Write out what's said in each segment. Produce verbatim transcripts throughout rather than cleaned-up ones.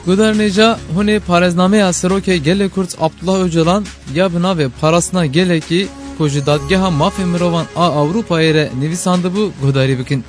Guhdarên hêja, hûn ê parêznameya Serokê Gelê Kurd Abdullah Ocalan ya bi navê Parastina Gelekî ku ji Dadgeha Mafê Mirovan a Ewropayê re nivîsandibû guhdarî bikin.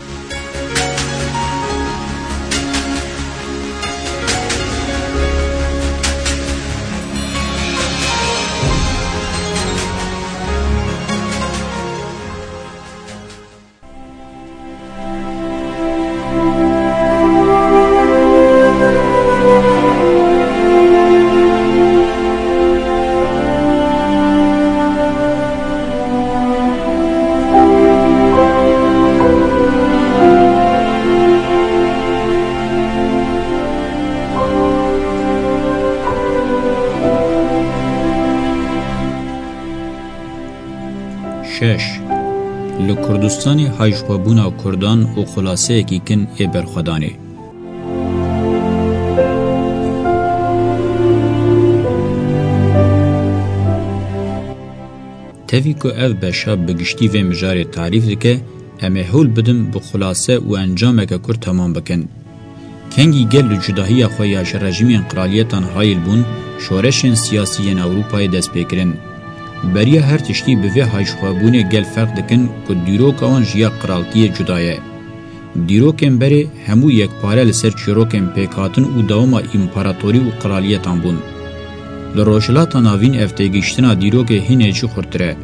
Şeş. Li Kurdistanê hayjixwebûna Kurdan û xulaseyekî kin ê berxwedanê. Tevî ku ev beşa bi giştî vê mijarê tarîf dike, em ê hewl bidin bi xulase û encameke kurt temam bikin. Kengî gel li cudahiya xwe ya ji rejîmên qiraliyetan hayil bûn, şoreşên siyasî yên Ewropayê dest pê kirin. Beriya her tiştî bi vê hayjixwebûnê gel ferq dikin ku dîroka wan ji ya qiraltiyê cuda ye. Dîrokên berê hemû yekpare li ser çîrokên pêkhatin û dewama împaratorî û qiraliyetan bûn. Li Rojhilata Navîn ev têgihiştina dîrokê hînê jî xurttir e.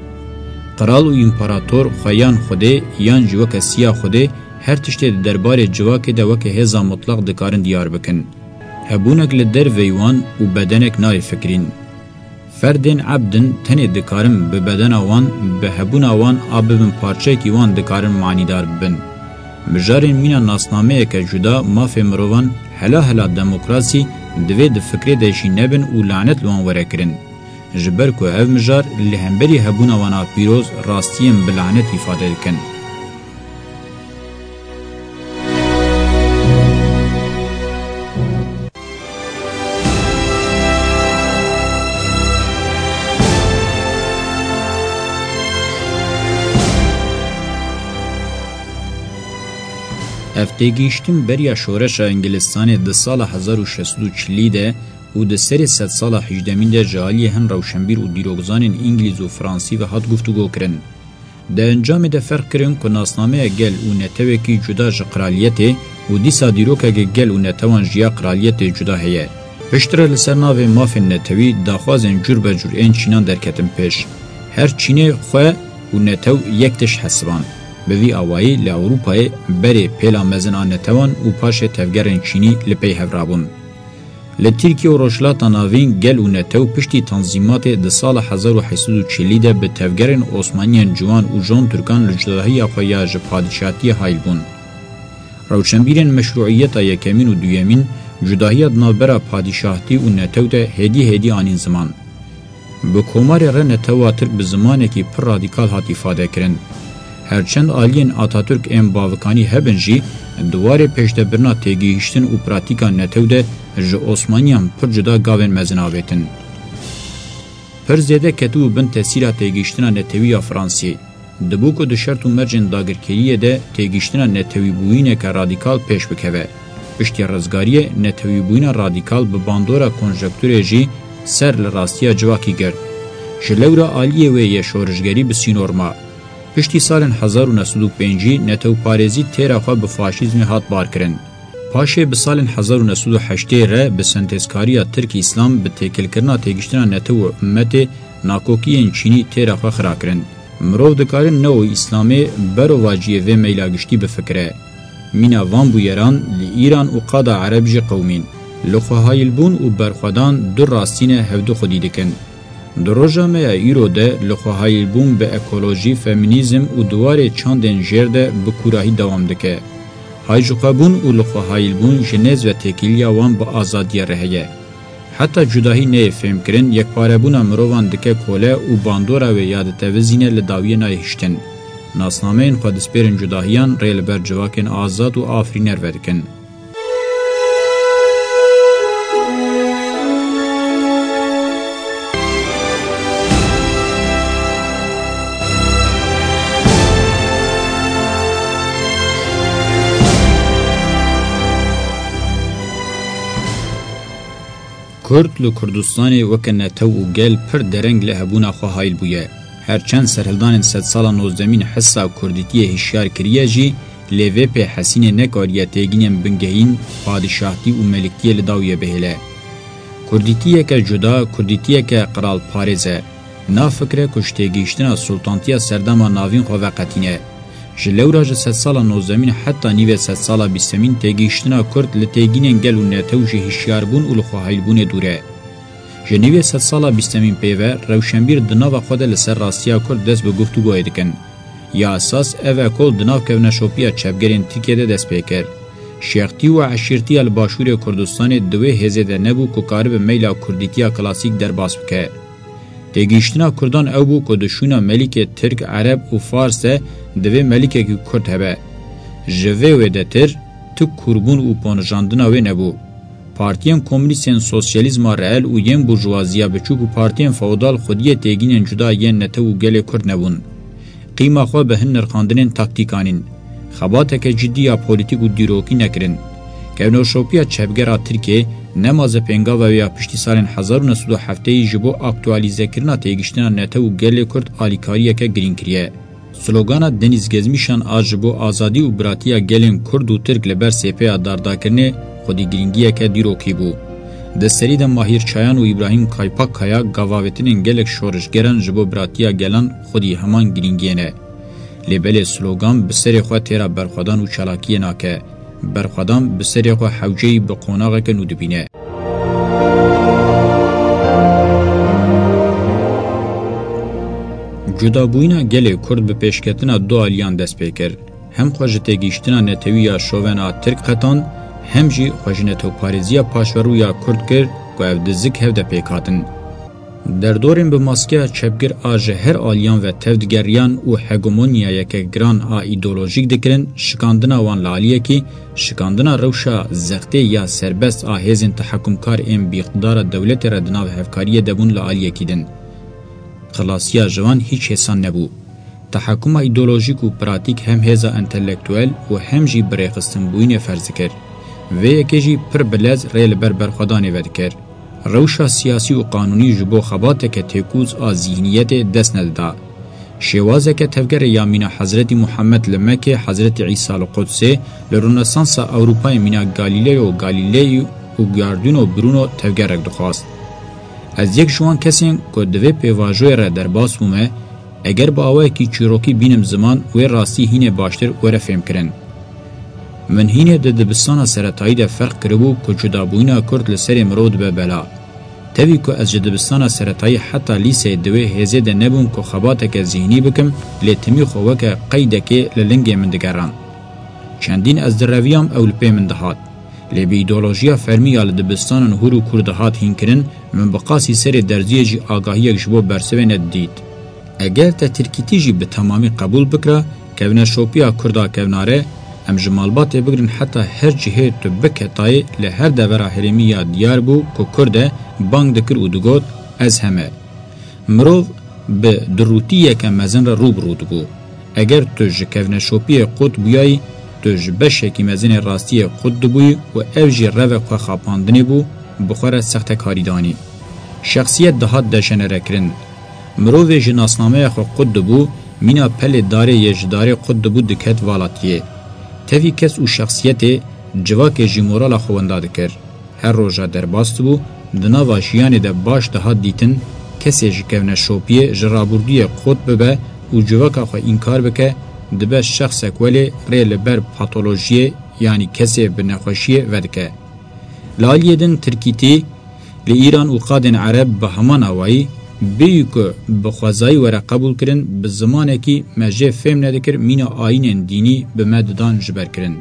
Qral û împarator xwe yan Xwedê yan jî weke siya Xwedê her tiştê di derbarê civakê de weke hêza mutlaq dikarin diyar bikin. Hebûnek li derveyî wan û bedenek nayê fikirîn. Ferdên ebd in, tenê dikarin bi bedena wan, bi hebûna wan a bibin parçeyekî wan dikarin manîdar bibin. Mijarên mîna nasnameyeke cuda mafê mirovan, hela hela demokrasî divê di fikrê de jî nebin û lanet li wan were kirin. Ji ber ku ev mijar li hemberî hebûna wan a pîroz rastiyên bi lanet îfade dikin. Ev têgihiştin beriya şoreşa Îngilistanê di sala hezar û şeş sed û çilî de û di serê sedsala hejdemîn de ji aliyê hin rewşenbîr û dîrokzanên îngilîz û fransî ve hat guftûgokirin. Di encamê de ferq kirin ku nasnameya gel û netewekî cuda ji qiraliyetê û dîsa dîrokeke gel û netewan ji ya qiraliyetê cuda heye. Piştre li ser navê mafên netewî daxwazên cûr be cûr ên çînan derketin pêş. Her çînê xwe û netew yek tişt hesiband. Bi vî awayî li Ewropayê berê pêla mezin a netewan û paşê tevgerên çînî li pey hev rabûn. Li Tirkiye û Rojhilata Navîn gel û netew piştî tanzîmatê di sala hezar û heşt sed û çelî de bi tevgerên Osmaniyên Ciwan û Jon Tirkan li cudahiya xwe ya ji padîşahtiyê hayl bûn. Rewşenbîrên meşrûiyeta yekemîn û duyemîn cudahiya di navbera padîşahtî û netew de hêdî hêdî anîn ziman. Bi komarê re netewa Tirk bi zimanekî pir radîkal hat îfadekirin. Her çend aliyên Atatürk ên bavikanî hebin jî, di warê pêşdebirina têgihiştin û pratîka netew de ji Osmaniyan pir cuda gavên mezin avêtin. Pir zêde ketibû bin tesîra têgihiştina netewî ya Fransî. Dibû ku di şert û mercên dagirkeriyê de têgihiştina netewîbûyîneke radîkal pêş bikeve. Piştî rizgariyê, netewîbûyîna radîkal bi bandora konjekturê jî ser li rastiya civakî girt. Ji lewra aliyê wê yê şorişgerî bi sînor ma. Piştî salên hezar û neh sed û pêncî netewparêzî têra xwe bi faşîzmê hat barkirin. Paşê bi salên hezar û neh sed û heştê re bi sentezkariya Tirk-Îslam bi têkilkirina têgiştina netew û ummetê nakokiyên çînî têra xwe xira kirin. Mirov dikarin neo-Îslamê berovajiyê vê meyla giştî bifikire. Mîna van bûyeran li Îran û qada Ereb jî qewimîn. Lixwehayilbûn û berxwedan du rastî ne hevdu xwedî dikin. Di roja me ya îro de lixwehayilbûn bi ekolojî, feminîzm û di warê çandên jêr de bi kûrahî dewam dike. Hayjixwebûn û lixwehayilbûn ji nêz ve têkiliya wan bi azadiyê re heye. Heta cudahî neyê fêmkirin, yekparebûna mirovan dike kole û bandora wê ya ditevizîne li dawiyê nayê hiştin. Nasnameyên xwe dispêrin cudahiyan rê li ber civakên azad û afirîner vedikin. Kurd li Kurdistanê weke netew û gel pir dereng li hebûna xwe hayl bûye. Her çend serhildanên sedsala nozdemîn hisa kurdîtiyê hişyar kiriye jî, lê vê pê hesînê nekariye têgînên bingehîn, padîşahtî û meliktiyê li dawiyê bihêle. Kurdîtiyeke cuda, kurdîtiyeke qiralparêz e. Na fikre ku ji têgihiştina sultantiya serdema navîn xwe veqetîne. Ji lewra ji sedsala nozdemîn heta nîvê sedsala bîstemîn têgihiştina kurd li têgînên gel û netew ji hişyarbûn û li xwehayilbûnê dûr e. Ji nîvê sedsala bîstemîn pê ve rewşenbîr di nava xwe de li ser rastiya kurd dest bi guftûgoyê dikin. Ya esas ev e ku di nav kevneşopiya çepgerên Tirkiyê de dest pê kir. Şêxtî û eşîrtiya li başûrê Kurdistanê di wê hêzê de nebû ku karibe meyla kurdîtiya klasîk derbas bike. Têgihiştina kurdan ew bû ku di şûna melîkê tirk, ereb û fars de divê melîkekî kurd hebe. Ji vê wêdetir tu kûrbûn û ponijandina wê nebû. Partiyên komûnîstên sosyalîzma reel û yên burjuwaziya biçûk û partiyên feodal xwediyê têgînên cuda yên netew û gelê kurd nebûn. Qîma xwe bi hin nirxandinên taktîk anîn. Xebateke cidî ya polîtîk û dîrokî nekirin. Kevnoşopiya çepgera Tirkiyê nema zepêngava wê ya piştî salên hezar û neh sed û heftê ji bo aktualîzekirina têgiştina netew û gelê kurd alîkariyeke girîng kiriye. Slogana Deniz Gezmişan a ji bo azadî û biratiya gelên kurd û tirk li ber sêpeya dardakirinê xwedî girîngiyeke dîrokî bû. Di serî de Mahîr Çayan û Îbrahîm Kaypakkaya gavavêtinên gelek şorişgeran ji bo biratiya gelan xwedî heman girîngiyê ne. Lê belê slogan bi serê xwe têra berxwedan û çalakiyê nake. Berxwedan bi serê xwe hewceyî bi qonaxeke nû dibîne. Cudabûyîna gelê kurd bi pêşketina du aliyan dest pê kir. Hem xwe ji têgihiştina netewî ya şoven a tirk qetand, hem jî xwe ji netewparêziya paşverû ya kurd kir ku ev du zik hev de pêk hatin. Derdorên bi maskeya çepgir a ji her aliyan ve tev digeriyan û hegemonyayeke giran a îdeolojîk dikirin, şikandina wan li aliyekî, şikandina rewşa zextê ya serbest a hêzên tehekumkar ên bi îqtidara dewletê re di nav hevkariyê de bûn li aliyekî din. Xilasiya ji wan hîç hêsan nebû. Tehekuma îdeolojîk û pratîk hem hêza entelektuel û hem jî birêxistinbûyînê ferz dikir. Vê yekê jî pir bi lez rê li ber berxwedanê vedikir. Rewşa siyasî û qanûnî ji bo xebateke têkûz a zîhniyetê dest nedida. Şêwazeke tevgerê ya mîna Hezretî Muhammed li Mekê, Hezretî Îsa li Qudsê, li Ronesansa Ewropayê mîna Galileo Galilei û Giordano Bruno tevgerek dixwast. Ez yek ji wan kesên ku di vê pêvajoyê re derbas bûme, eger bi awayekî çîrokî bînim ziman, wê rastî hînê baştir were fêmkirin. Min hînê di dibistana seretayî de ferq kiribû ku cudabûyîna kurd li serê mirov dibe bela. Tevî ku ez ji dibistana seretayî heta lîseyê di wê hêzê de nebûm ku xebateke zîhnî bikim, lê timî xwe weke qeydekê li lingê min digerand. Çendîn ez direviyam, ew li pê min dihat. Lê bi îdeolojiya fermî ya li dibistanan hûr û kûr dihat hînkirin, min bi qasî serê derziyê jî agahiyek ji bo bersivê nedidît. Eger te tirkîtî jî bi temamî qebûl bikira, kevneşopiya kurda kevnare, em ji malbatê bigirin heta her cihê tu biketayê li her devera herêmî ya diyar bû ku kurd e, bang dikir û digot, ez heme. Mirov bi dirûtiyeke mezin re rû bi rû dibû. Eger tu ji kevneşopiyê qut bûyayî, tu ji beşekî mezin ê rastiyê qut dibûyî û ev jî revek xwe xapandinê bû, bi xwe re sextekarî danî. Şexsiyet dihat dejenerekirin. Mirovê ji nasnameya xwe qut dibû, mîna pelê darê yê ji darê qut dibû diket valatiyê. Tevî kes û şexsiyetê civakê jî morala xwe wenda dikir. Her roja derbas dibû, di nava jiyanê de baş dihat dîtin, kesê ji kevneşopiyê, ji rabûrdûyê qut bibe û civaka xwe înkar bike, dibe şexsek welê rê li ber patolojiyê, yanî kesê bi nexweşiyê vedike. Li aliyê din tirkîtî, li Îran û qadên ereb bi heman awayî, bêyî ku bi xwezayî were qebûlkirin, bi zimanekî me jê fêm nedikir, mîna ayînên dînî bi me didan ji ber kirin.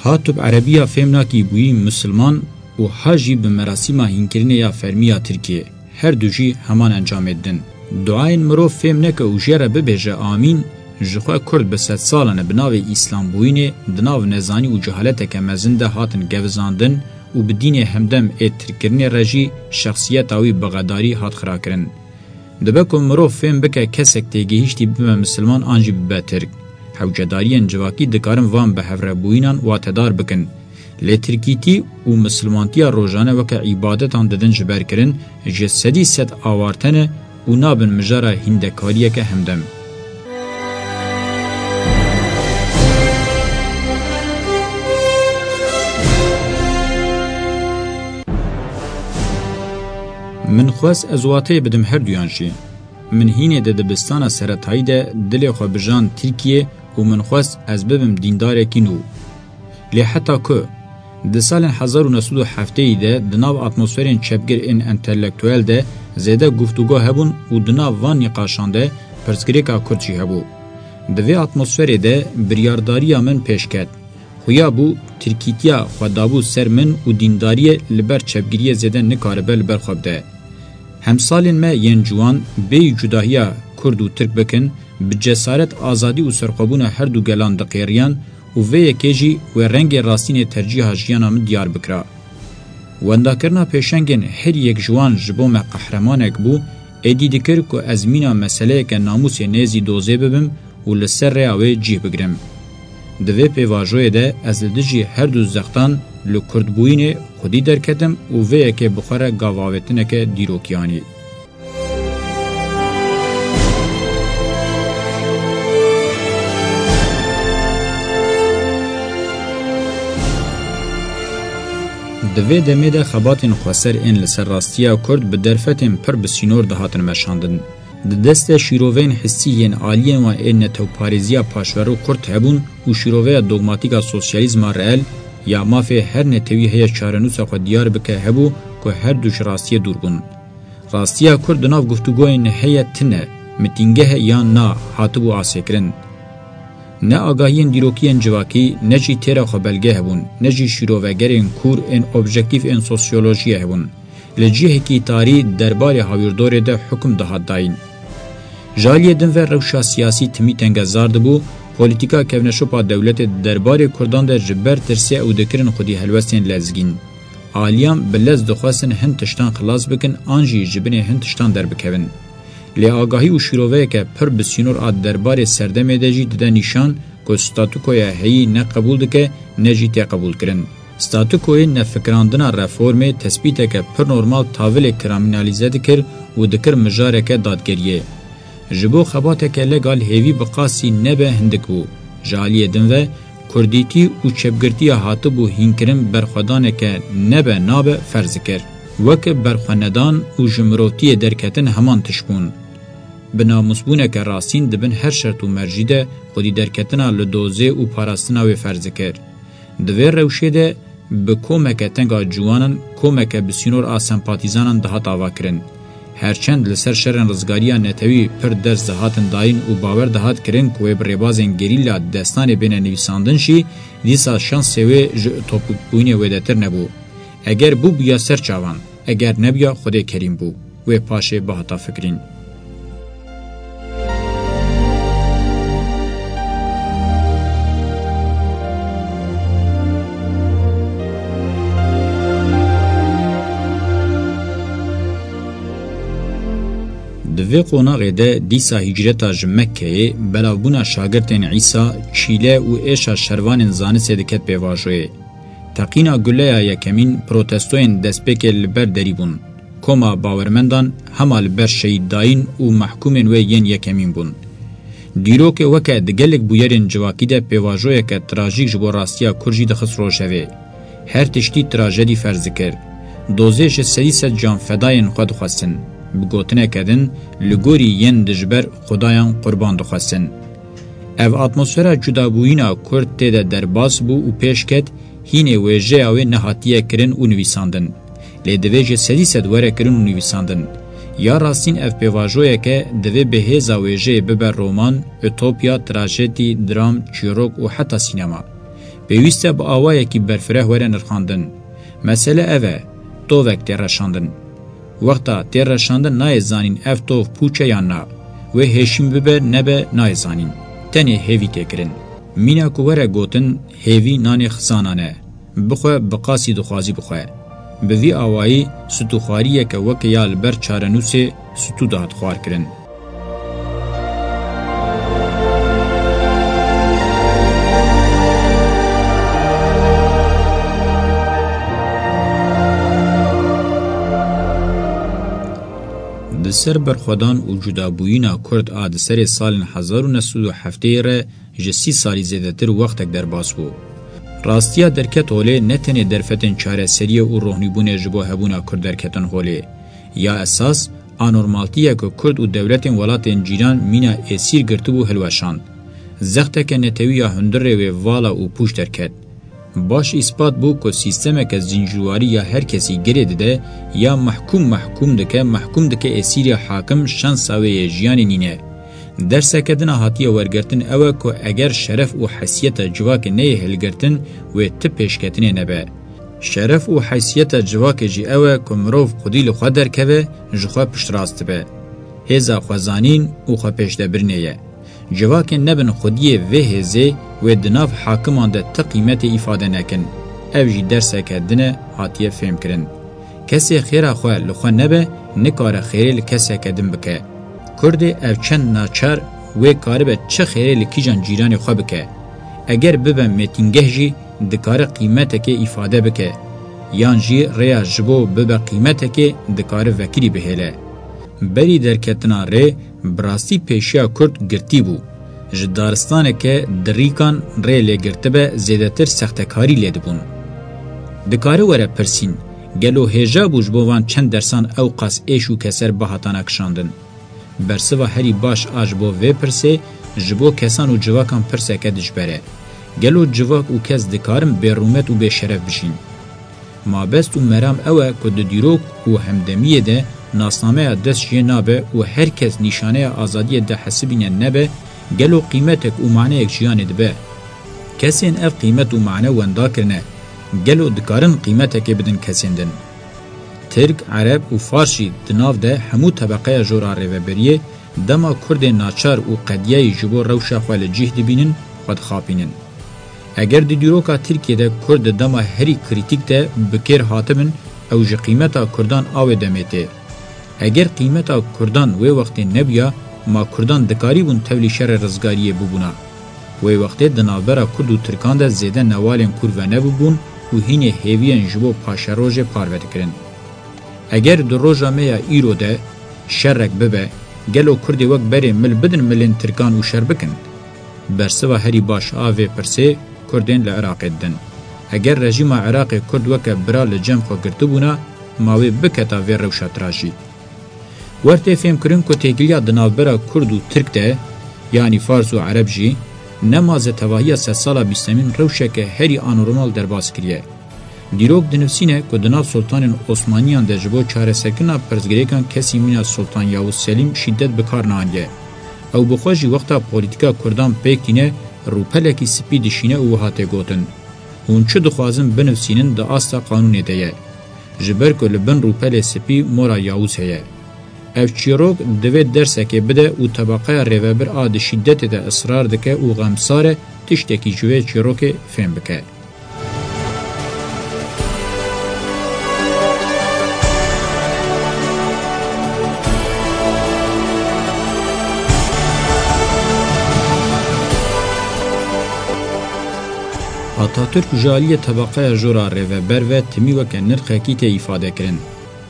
Ha tu bi erebiya fêm nakî bûyî misilman û ha jî bi merasîma hînkirinê ya fermî ya Tirkiyê, her du jî heman encamê didin. Duayên mirov fêm neke û jê re bibêje amîn, ji xwe kurd bi sedsalan e bi navê îslambûyînê di nav nezanî û cehaleteke mezin de hatin gevizandin û bi dînê hemdem ê tirkkirinê re jî şexsiyeta wî bi xedarî hat xirakirin. Dibe ku mirov fêm bike kesek têgihîştî bibe misilman an jî bibe tirk. Hewcedariyên civakî dikarin van bihevrebûyînan watedar bikin. Lê tirkîtî û misilmantiya rojane weke îbadetan didin ji ber kirin, ji sedî sed awarte ne û nabin mijara hîndekariyeke hemdem. Min xwest ez wateyê bidim her duyan jî. Min hînê di dibistana seretayî de dilê xwe bijand Tirkiyê û min xwest ez bibim dîndarekî nû. Lê heta ku? Di salên hezar û neh sed û heftêyî de di nav atmosferên çepgir ên entelektuel de zêde guftûgo hebûn û di nav van nîqaşan de pirsgirêka Kurd jî hebû. Di vê atmosferê de biryardariya min pêş ket. Xuya bû, tirkîtiya xwe dabû ser min û dîndariyê li ber çepgiriyê zêde nikaribe li ber xwe bide. Hemsalên me yên ciwan bêyî cudahiya Kurd û Tirk bikin, bi cesaret, azadî û serxwebûna her du gelan diqêriyan û vê yekê jî wê rengê rastînê tercîha jiyana min diyar bikira. Wendakirina pêşengên her yek ji wan ji bo me qehremanek bû, êdî dikir ku ez mîna meseleyeke namûsê nêzî dozê bibim û li ser rêya wê cih bigrim. Di vê pêvajoyê de ez li dijî her du zextan li kurdbûyînê xwedî derketim û vê yekê bi xwe re gavavêtineke dîrokî anî. Di vê demê de xebatên xweser ên li ser rastiya Kurd bi derfetên pir bi sînor dihatin meşandin. Di dest de şîroveyên hissî yên aliyên wan ên netewparêziya paşverû Kurd hebûn û şîroveya dogmatîk a sosyalîzma reel ya mafê her netewî heye çarenûsa xwe diyar bike hebû ku her du ji rastiyê dûr bûn. Rastiya Kurd di nav guftûgoyên heye tune, mitîngeh e yan na, hatibû asêkirin. Ne agahiyên dîrokî yên civakî, ne jî têra xwe belge hebûn, ne jî şîrovegerên kûr ên objektîf ên sosyolojiyê hebûn. Li cihekî tarî derbarê hawîrdorê de hukum dihat dayîn. Ji aliyê din ve rewşa siyasî timî tengezar dibû, polîtîka kevneşopa dewletê di derbarê Kurdan de ji ber tirsê ew dikirin xwedî helwestên lezgîn. Aliyan bi lez dixwestin hin tiştan xilas bikin an jî ji binê hin tiştan derbikevin. Lê agahî û şîroveyeke pir bi sînor a derbarê serdemê de jî dide nîşan ku statukoya heyî ne qebûl dike ne jî tê qebûlkirin. Statukoyê nefikirandina reformê tespîteke pir normal tavilê kriminalîze dikir û dikir mijareke dadgeriyê. Ji bo xebateke legal hêvî bi qasî nebe hindik bû. Ji aliyê din ve, kurdîtî û çepgirtiya hatibû hînkirin berxwedaneke nebe nabe ferz dikir. Weke berxwenedan û ji mirovtiyê derketin heman tişt bûn. Bi namûsbûneke rastîn di bin her şert û mercî de xwedî derketina li dozê û parastina wê ferz dikir. Di vê rewşê de bi komeke teng a ciwanan, komeke bi sînor a sempatîzanan dihat avakirin. Herçend li ser şerên rizgariya netewî pir ders dihatin dayîn û bawer dihat kirin ku wê bi rêbazên gerîla destanê bêne nivîsandin jî, dîsa şansê wê ji utopîkbûyînê wêdetir nebû. Eger bûbûya ser çavan, eger nebûya Xwedê kerîm bû, wê paşê bihata fikirîn. Di vê qonaxê de dîsa hîcreta ji Mekkeyê, belavbûna şagirtên Îsa, çîle û êşa şervanên zanistê diket pêvajoyê. Teqîna guleya yekemîn protestoyên destpêkê li ber derî bûn. Koma bawermendan hema li ber şehîddayîn û mehkûmên wê yên yekemîn bûn. Dîrokê weke di gelek bûyerên civakî de pêvajoyeke trajîk ji bo rastiya Kurd jî dixist rojevê. Her tiştî trajedî ferz dikir. Dozê ji sedî sed canfedayên xwe dixwestin. Bi gotineke din, li gorî yên dijber xudayan qurban dixwestin. Ev atmosfera cudabûyîna Kurd tê de derbas bû û pêş ket, hînê wêjeya wê nehatiye kirin û nivîsandin. Lê divê ji sedî sed were kirin û nivîsandin. Ya rastîn ev pêvajoyeke divê bi hêza wêjeyê bibe roman, utopya, trajedî, dram, çîrok û heta sînema. Pêwîst e bi awayekî berfireh were nirxandin. Mesele ev e, tovek tê reşandin. Wexta tê reşandin nayê zanîn ev tov pûç e yan na. Wê hêşîn bibe nebe nayê zanîn. Tenê hêvî tê kirin. Mîna ku were gotin, hêvî nanê xizanan e. Bixwe bi qasî dixwazî bixwe. Bi vî awayî stûxwariyeke weke ya li ber çarenûsê stû dihat xwarkirin. Ser berxwedan û cudabûyîna Kurd a di serê salên hezar û neh sed û heftê re ji sî salî zêdetir wextek derbas bû. Rastiya derket holê ne tenê derfetên çareseriyê û rohnîbûnê ji bo hebûna Kurd derketin holê. Ya esas, anormaltiyeke Kurd û dewletên welatên cîran mîna êsîr girtibû hilweşand. Zexteke netewî ya hundirê wê vala û pûç derket. Baş îspat bû ku sîstemeke zincîrwarî ya her kesî girê dide, ya mehkûm mehkûm dike, mehkûm dike êsîrê hakim, şansa wê yê jiyanê nîne. Derseke din a hatiye wergirtin ew e ku eger şeref û heysiyeta civakê neyê hilgirtin, wê ti pêşketinê nebe. Şeref û heysiyeta civakê jî ew e ku mirov xwedî li xwe derkeve, ji xwe piştrast dibe. Hêza xwezanîn û xwepêşdebirinê ye. Civakên nebin xwediyê vê hêzê wê di nav hakiman de ti qîmetê îfade nekin. Ev jî derseke din e hatiye fêmkirin. Kesê xêra xwe li xwe nebe, nikare xêrê li keseke din bike. Kurdê ev çend naçar wê karibe çi xêrê li kîjan cîranê xwe bike. Eger bibe mêtingeh jî dikare qîmetekê îfade bike. Yan jî rêya ji bo bibe qîmetekê dikare vekirî bihêle. Berî derketina rê, bi rastî pêşiya Kurd girtî bû. Ji daristaneke dirîkan rê lê girtibe, zêdetir sextekarî lê dibûn. Dikare were pirsîn, gelo hêja bû ji bo van çend dersan ew qas êş û keser bihatana kişandin? Bersiva herî baş a ji bo vê pirsê, ji bo kesan û civakan pirseke dijber e. Gelo civak û kes dikarin bêrûmet û bêşeref bijîn? Mabest û meram ew e ku di dîrok û hemdemiyê de nasnameya dest jê nabe û her kes nîşaneya azadiyê dihesibîne nebe, gelo qîmetek û maneyek jiyanê dibe? Kesên ev qîmet û mane wenda kirine, gelo dikarin qîmetekê bidin kesên din? Tirk, Ereb û Fars jî di nav de hemû tebeqeya jor a rêveberiyê dema Kurdên naçar û qediyayî ji bo rewşa xwe li cih dibînin, xwe dixapînin. Eger di dîroka Tirkiyê de Kurd di dema herî krîtîk de bi kêr hatibin, ew ji qîmeta Kurdan a wê demê tê. Eger qîmeta Kurdan wê wextê nebûya, ma Kurdan dikarîbûn tevlî şerê rizgariyê bibûna? Wê wextê di navbera Kurd û Tirkan de zêde newalên kûr venebûbûn û hînê hêviyên ji bo paşerojê parve dikirin. Eger di roja me ya îro de şerek bibe, gelo Kurdê wek berê mil bidin milên Tirkan û şer bikin? Bersiva herî baş a vê pirsê Kurdên li Iraqê didin. Eger rejîma Iraqê Kurd weke bira li cem xwe girtibûna, ma wê biketa vê rewşa tirajî? Wer tê fêmkirin ku têkiliya di navbera Kurd û Tirk de, yanî Fars û Ereb jî, nema ze tevahiya sedsala bîstemîn rewşeke herî anormal derbas kiriye. Dîrok dinivîsîne ku di nav Sultanên Osmaniyan de ji bo çareserkirina pirsgirêkan kesî mîna Sultan Yavuz Selîm şîdet bi kar neaniye. Ew bi xwe jî wexta polîtîka Kurdan pêk tîne, rûpelekî spî dişîne û wiha tê gotin: Hûn çi dixwazin binivîsînin, di asta qanûnê de ye. Ji ber ku li bin rûpelê spî mora Yavuz heye. Ev çîrok divê dersekê bide û tebeqeya rêvebir a di şîdetê de israr dike û xemsar e, tiştekî ji vê çîrokê fêm bike. Atatürk ji aliyê tebeqeya jor a rêveber ve timî weke nirxekî tê îfade kirin.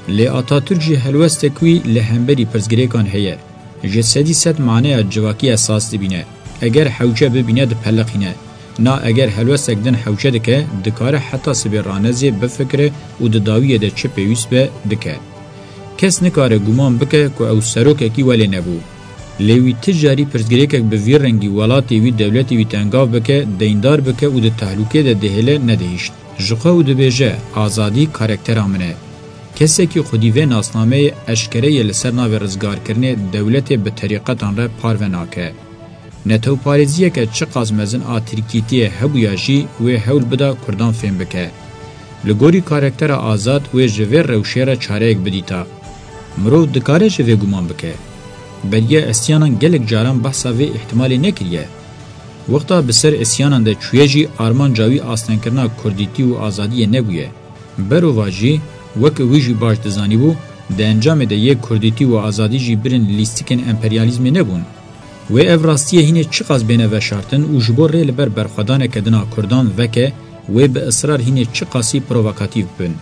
Lê Atatürk jî helwestek wî li hemberî pirsgirêkan heye. Ji sedî sed maneya civakî esas dibîne. Eger hewce bibîne, dipeliqîne. Na eger helwestek din hewce dike, dikare heta sibê ranezê, bifikire û di dawiyê de çi pêwîst be, bike. Kes nikare guman bike ku ew serokekî welê nebû. Lê wî ti carî pirsgirêkek bi vî rengî welatê wî, dewletê wî tengav bike, deyndar bike û di tehlûkê de dihêle, nedihişt. Ji xwe û dibêje, Azadî karaktera min e. Kesekî xwedî vê nasnameyê eşkere yê li ser navê rizgarkirinê dewletê bi terîqetan re parve nake. Netewparêziyeke çiqas mezin a tirkîtiyê hebûya jî wê hewl bida Kurdan fêm bike. Li gorî karaktera Azad wê ji vê rewşê re çareyek bidîta. Mirov dikare ji vê guman bike. Beriya îsyanan gelek caran behsa vê îhtimalê nekiriye. Wexta bi ser îsyanan de çûye jî armanca wî astengkirina kurdîtî û azadiyê nebûye. Berova jî, weke wî jî baş dizanîbû, di encamê de yê kurdîtî û azadî jî birên lîstikên emperyalîzmê nebûn. Wê ev rastiyê hînê çiqas bêne veşartin û ji bo rê li ber berxwedaneke din a kurdan veke, wê bi israr hînê çiqasî provokatîf bibin.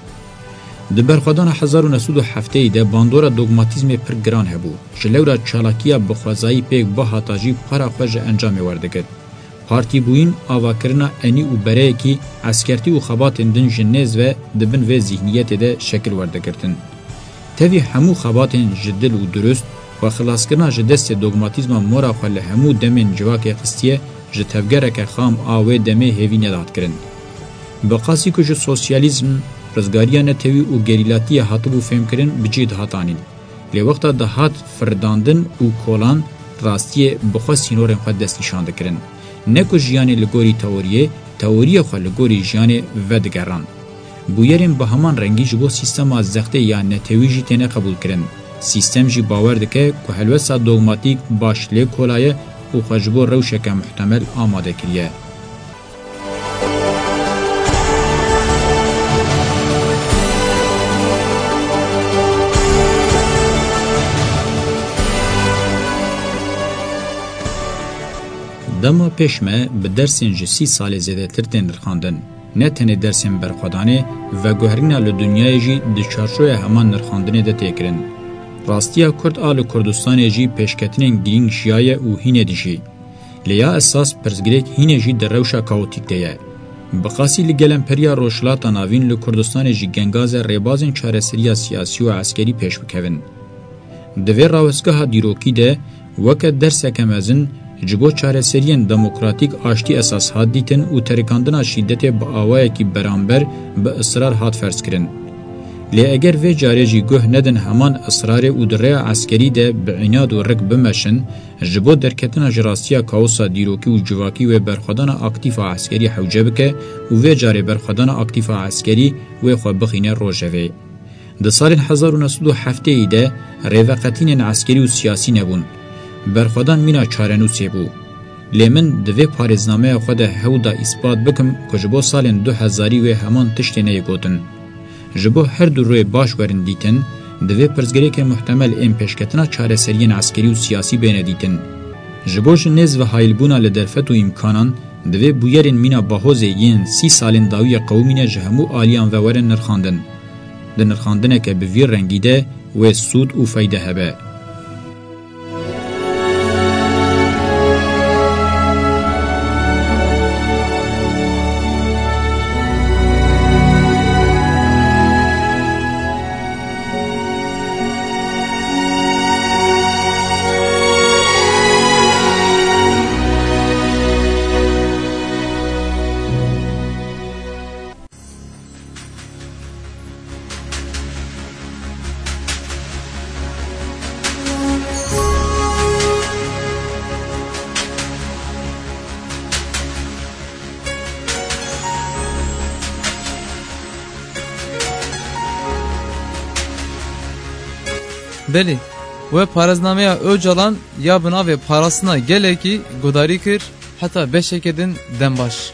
Di berxwedana hezar û neh sed û heftê de bandora dogmatîzmê pir giran hebû. Ji lewra çalakiya bi xwezayî pêk bihata jî para xwe ji encamê werdigirt. Partîbûyîn, avakirina enî û bereyekî, eskertî û xebatên din ji nêz ve di bin vê zîhniyetê de şekil werdigirtin. Tevî hemû xebatên ji dil û durust, xwexilaskirina ji destê dogmatîzma mora xwe li hemû demên civakê xistiye, ji tevgereke xam a wê demê hêvî nedat kirin. Bi qasî ku ji sosyalîzm, rizgariya netewî û gerîlatiyê hatibû fêmkirin, bi cih dihat anîn. Lê wexta dihat firdandin û kolan, rastiyê bi xwe sînorên xwe destnîşan dikirin. Ne ku jiyanê li gorî teoriyê, teoriyê xwe li gorî jiyanê vedigeran. Bûyerên bi heman rengî ji bo sîstema zextê ya netewî jî têne qebûlkirin. Sîstem jî bawer dike ku helwesta dogmatîk baş lê kola ye û xwe ji bo rewşeke muhtemel amade kiriye. Dema pêş me bi dersên ji sî salê zêdetir tên nirxandin. Ne tenê dersên berxwedanê, veguherîna li dinyayê jî di çarçoya heman nirxandinê de tê kirin. Rastiya Kurd a li Kurdistanê jî pêşketinên girîng jiyaye û hînê dijî. Lê ya esas pirsgirêk hînê jî di rewşa kaotîk de ye. Bi qasî li gelemperiya Rojhilata Navîn, li Kurdistanê jî gengaz e rêbazên çareseriya siyasî û eskerî pêş bikevin. Di vê rawestgeha dîrokî de weke derseke mezin ji bo çareseriyên demokratîk aştî esas hat dîtin û terikandina şîdetê bi awayekî beramber bi israr hat ferzkirin. Lê eger vê carê jî guh nedin heman israrê û di rêya eskerî de bi înad û rik bimeşin, ji bo derketina ji rastiya kaosa dîrokî û civakî wê berxwedana aktîf a eskerî hewce bike û vê carê berxwedana aktîf a eskerî wê xwe bixîne rojevê. Di salên hezar û neh sed û heftê de rêveqetînên eskerî û siyasî nebûn. Berxwedan mîna çarenûsê bû. Lê min di vê parêznameya xwe de hewl da îspat bikim ku ji bo salên du hezarî wê heman tiştê neyê gotin. Ji bo her du rûyê baş werin dîtin, divê pirsgirêkên muhtemel ên pêşketina çareseriyên eskerî û siyasî bêne dîtin. Ji bo ji nêz ve hayilbûna li derfet û îmkanan, divê bûyerên mîna Bahozê yên sî salên dawiyê qewimîne ji hemû aliyan ve werin nirxandin. Di nirxandineke bi vî rengî de wê sûd û feyde hebe. Belê, we parêznameya Ocalan ya bi navê Parastina Gelekî guhdarî kir, heta beşeke din dem baş.